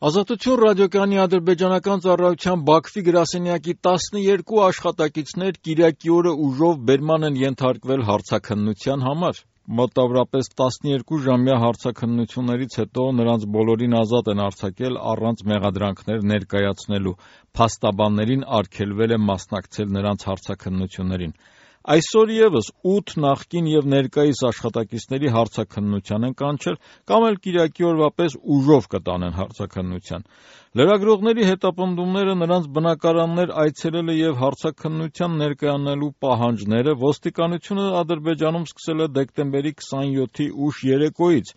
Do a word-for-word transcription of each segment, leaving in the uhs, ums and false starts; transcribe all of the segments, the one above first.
Ազատություն ռադիոկայանի ադրբեջանական ծառայության Բաքվի գրասենյակի տասնյոթ աշխատակիցներ կիրակի օրը ուժով բերման են ենթարկվել հարցաքննության համար։ Մոտավորապես տասնյոթ-ժամյա հարցաքննություններից հետո նրանց բոլորին ազատ են արձակել առանց մեղադրանքներ ներկայացնելու։ Փաստաբաններին արգելվել է մասնակցել նրանց հարցաքննություններին։ Այսօր ևս ութ նախկին և ներկայիս աշխատակիցների հարցաքննության են կանչել կամ էլ կիրակի օրվա պես ուժով կտանեն հարցաքննության։ Լրագրողների հետապնդումները, նրանց բնակարաններ այցելելը և հարցաքննության ներկայանալու պահանջները ոստիկանությունը Ադրբեջանում սկսել է դեկտեմբերի քսանյոթի ուշ երեկոյից։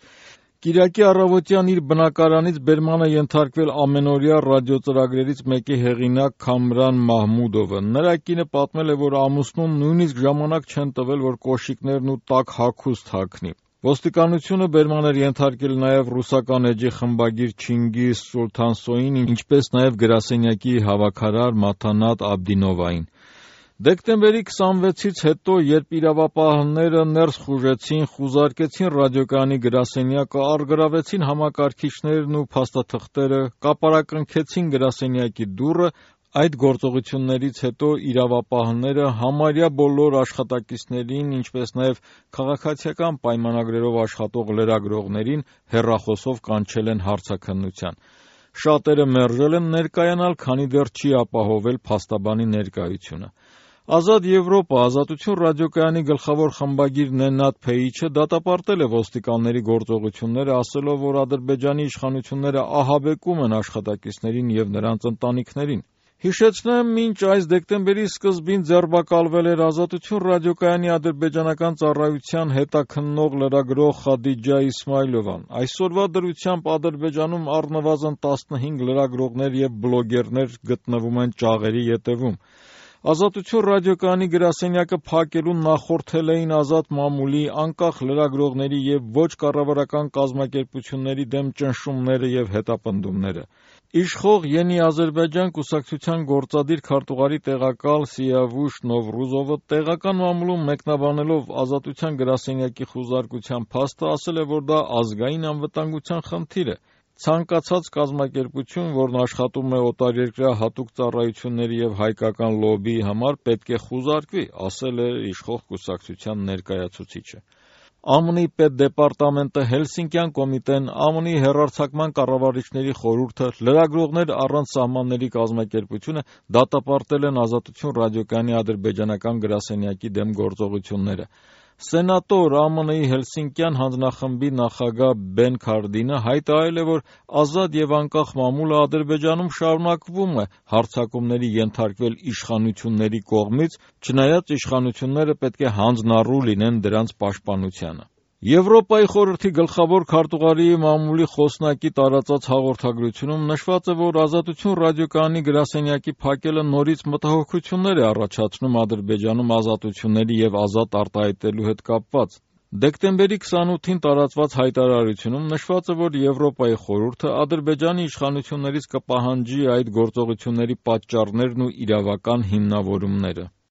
Կիրակի առավոտյան իր բնակարանից բերման է ենթարկվել ամենօրյա ռադիոծրագրերից մեկի հեղինակ Քամրան Մահմուդովը։ Նրա կինը պատմել է, որ ամուսնուն նույնիսկ ժամանակ չեն տվել, որ կոշիկներն ու տաք հագուստ հագնի։ Ոստիկանությունը բերման էր ենթարկել նաև ռուսական էջի խմբագիր Չինգիզ Սուլթանսոյին, ինչպես նաև գրասենյակի հավաքարար Մաթանատ Աբդինովային։ Դեկտեմբերի քսանվեցից հետո, երբ իրավապահները ներս խուժեցին, խուզարկեցին ռադիոկայանի գրասենյակը, առգրավեցին համակարգիչներն ու փաստաթղթերը, կապարակնքեցին գրասենյակի դուռը, այդ գործողություններից հետո իրավապահները համարյա բոլոր աշխատակիցներին, ինչպես նաև քաղաքացիական պայմանագրերով աշխատող լրագրողներին հեռախոսով կանչել են հարցաքննության։ Շատերը մերժել են ներկայանալ, քանի դեռ չի ապահովել փաստաբանի ներկայությունը։ Ազատ Եվրոպա Ազատություն ռադիոկայանի գլխավոր խմբագիր Նեննաթ Փեիչը դատապարտել է ոստիկանների գործողությունները, ասելով, որ Ադրբեջանի իշխանությունները ահաբեկում են աշխատակիցներին և նրանց ընտանիքներին։ Հիշեցնեմ, մինչ այս դեկտեմբերի սկզբին ձերբակալվել էր Ազատություն ռադիոկայանի ադրբեջանական ծառայության հետաքննող լրագրող Խադիջա Իսմայլովան։ Այսօրվա դրությամբ Ադրբեջանում առնվազն տասնհինգ լրագրողներ և բլոգերներ գտնվում են ճաղերի ետևում։ Ազատություն ռադիոկայանի գրասենյակը փակելուն նախորդել էին Ազատ մամուլի, անկախ լրագրողների և ոչ կառավարական կազմակերպությունների դեմ ճնշումները և հետապնդումները։ Իշխող Յենի Ադրբեջան կուսակցության գործադիր քարտուղարի տեղակալ Սիավուշ Նովրուզովը տեղական մամուլում մեկնաբանելով Ազատության գրասենյակի խուզարկության փաստը, ասել է, որ դա ազգային անվտանգության խնդիր է։ Ցանկացած կազմակերպություն, որն աշխատում է օտարերկրյա հատուկ ծառայությունների և հայկական լոբբիի համար, պետք է խուզարկվի, ասել է իշխող կուսակցության ներկայացուցիչը։ ԱՄՆ-ի պետդեպարտամենտը, Հելսինկյան կոմիտեն, ԱՄՆ-ի հեռարձակման կառավարիչների խորհուրդը, Լրագրողներ առանց սահմանների կազմակերպությունը դատապարտել են Ազատություն ռադիոկայանի ադրբեջանական գրասենյակի դեմ գործողությունները։ Սենատոր ԱՄՆ-ի Հելսինկյան հանձնախմբի նախագահ Բեն Քարդինը հայտարարել է, որ ազատ և անկախ մամուլը Ադրբեջանում շարունակվում է հարձակումների ենթարկվել իշխանությունների կողմից, չնայած իշխանությունները պետք է հանձնառու լինեն դրանց պաշտպանությանը։ Եվրոպայի խորհրդի գլխավոր քարտուղարի մամուլի խոսնակի տարածած հաղորդագրությունում նշված է, որ Ազատություն ռադիոկայանի գրասենյակի փակելը նորից մտահոգություններ է առաջացնում Ադրբեջանում ազատությունների և ազատ արտահայտելու հետ կապված։ Դեկտեմբերի քսանութին տարածված հայտարարությունում նշված է, որ Եվրոպայի խորհուրդը Ադրբեջանի իշխանություններից կպահանջի այդ գործողությունների պատճառներն ու իրավական հիմնավորումները։